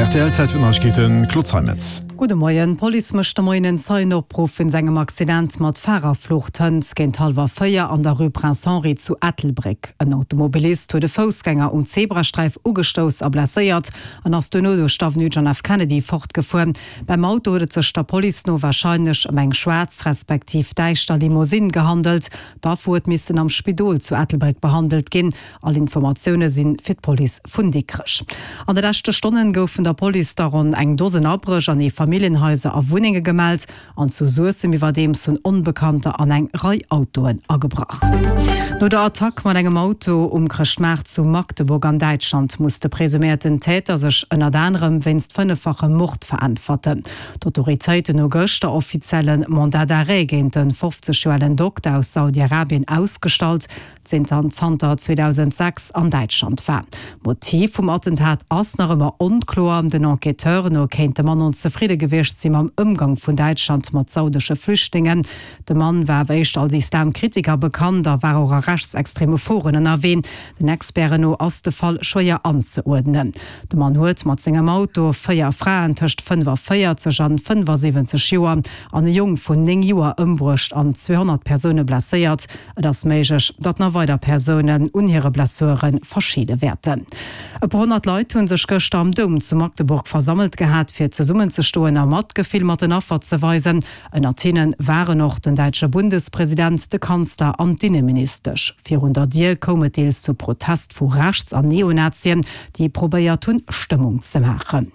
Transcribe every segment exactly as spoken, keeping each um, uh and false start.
Rtl, Zäit fir d'Neiegkeeten, Claude Zeimetz. Gudde Moien, D'Police mécht de Moien en Zeienopruff wéinst engem Accident mat Farerflucht hënt géint hallwer véier an der Rue Prince Henri zu Ettelbréck. En Automobilist huet e Foussgänger um Zebrasträif ugestouss a blesséiert an ass duerno duerch d'Avenue John F. Kennedy fortgefuer. Beim Auto huet et sech der Police no warscheinlech ëm eng schwaarz respektiv däischter Limousine gehandelt. D'Affer huet missen am Spidol zu Ettelbréck behandelt ginn. All Informatioune si fir d'Police vun Dikrech. An de leschte Stonnen goufen der Police der ronn eng Dosen Abréch an Eefamilljenhaiser a Wunnenge gemellt an zu Suessem iwwerdeems hunn Onbekannter an eng Rei Autoen agebrach. No der Attack mat engem Auto um Chrëschtmaart zu Magdeburg an Däitschland muss de presuméierten Täter sech ënnert anerem wéinst fënneffachem Mord veräntwerten. D'Autoritéiten hu gëschter offiziell e Mandat d'arrêt géint de fofzeg Joer alen Dokter aus Saudi-Arabien ausgestallt, deen zanter zweedausendsechs an Däitschland war. D'Motiv vum Attentat ass nach ëmmer onkloer. Den Enquêteuren no kéint de Mann onzefridde gewiescht si mam Ëmgang vun Däitschland mat saudesche Flüchtlingen. De Mann war awer éischter als Islamkritiker bekannt a war och a rechtsextreme Foren ënnerwee. Den Experten no ass de Fall schwéier anzeuerdnen. De Mann huet mat sengem Auto véier Fraen tëscht fënnefaféierzeg an fënnefasiwwenzeg Joer an e Jong vun néng Joer ëmbruecht an zweehonnert Persoune blesséiert. Et ass méiglech, datt nach weider Persounen un hire Blessure verscheede wäerten. E puer honnert Leit hu sech gëschter am Doum zu Magdeburg versammelt gehat, fir zesummenzestoen a Matgefill mat den Affer ze weisen. Ënnert hinne waren och den däitsche Bundespresident, de Kanzler an d'Inneministesch. Virun der Dier koum et deels zu Protest vu Rechts an Neonazien, déi probéiert hunn, Stëmmung ze maachen.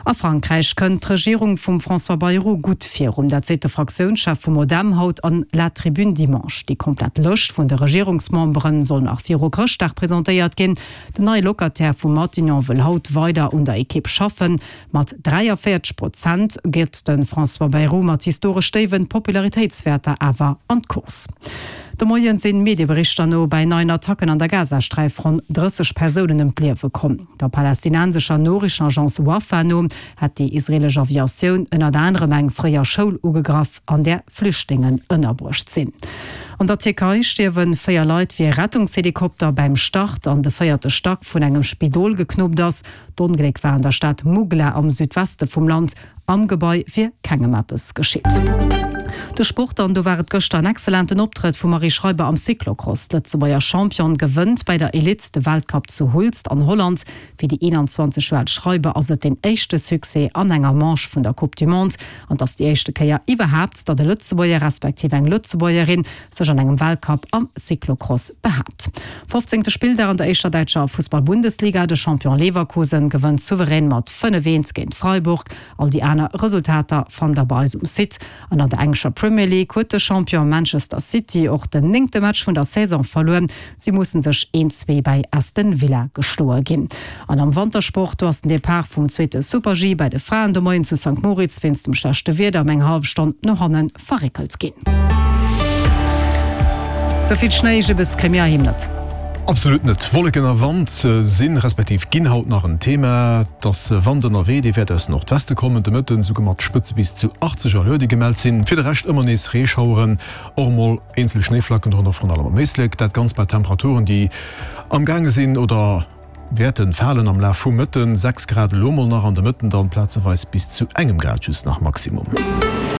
A Frankräich kënnt d'Regierung vum François Bayrou gutt virun. Dat seet de Fraktiounschef vum Modem haut an La Tribune Dimanche. Déi komplett Lëscht vun de Regierungsmembere soll nach viru Chrëschtdag presentéiert ginn. Den neie Locataire vu Matignon wëll haut weider un der Ekipp schaffen. Mat dräiavéierzeg Prozent geet de François Bayrou mat historesch déiwe Popularitéitswäerter awer an d'Course. De Moien sinn Medieberichter no bei neien Attacken an der Gazasträif ronn drësseg Persounen ëm d'Liewe komm. Der palästinensescher Noriichtenagence Wafa no hätt déi israeelesch Aviatioun ënnert anerem eng fréier Schoul ugegraff, an där Flüchtlingen ënnerbruecht sinn. An der Tierkei stierwe véier Leit, wéi e Rettungshelikopter beim Start an de véierte Stack vun engem Spidol geknuppt ass. D'Ongléck war an der Stad Mugla am Südweste vum Land. Am Gebai wier kengem eppes geschitt. De Sport an do war et gëschter en excellenten Optrëtt vum Marie Schreiber am Cyclocross. D'Lëtzebuerger Championne gewënnt bei der Elite de Weltcup zu Hulst an Holland. Fir déi eenanzwanzeg Joer al Schreiber ass et den éischte Succès an enger Manche vun der Coupe du Monde an et ass déi éischte Kéier iwwerhaapt, datt e Lëtzebuerger respektiv eng Lëtzebuergerin sech an engem Weltcup am Cyclocross behaapt. Fofzéngte Spilldag an der éischter däitscher Fussball-Bundesliga, De Champion Leverkusen gewënnt souverän mat fënnef, eent géint Freiburg. All déi aner Resultater fannt der bei eis um Site. An an der englescher Premier League huet de Champion Manchester City och den néngte Match vun der Saison verluer. Si mussen sech een, zwee bei Aston Villa geschloe ginn. An am Wantersport, do ass den Depart vum zweete Super-G bei de Fraen de Moien zu Sankt Moritz wéinst dem schlechte Wieder ëm eng hallef Stonn no hanne verréckelt ginn. Sou vill Schnéi, Jibbes kréie mir heiheem net. Absolut net. Wolleken a Wand sinn, respektiv ginn haut nach en Thema. Et ass Wand ënnerwee, dee wäert aus Nordweste kommen, de Mëtten esouguer mat Spëtze bis zu achtzeg Allure, déi gemellt sinn. Fir de Rescht ëmmer nees Reeschaueren, och emol eenzel Schnéiflacken, dorënner vrun allem am Éislek. Dat Ganzt bei Temperaturen, déi amgaange sinn oder wäerte falen am Laf vum Mëtten, sechs Grad elo mol nach, an de Mëtten dann plazeweis bis zu engem Grad just nach Maximum.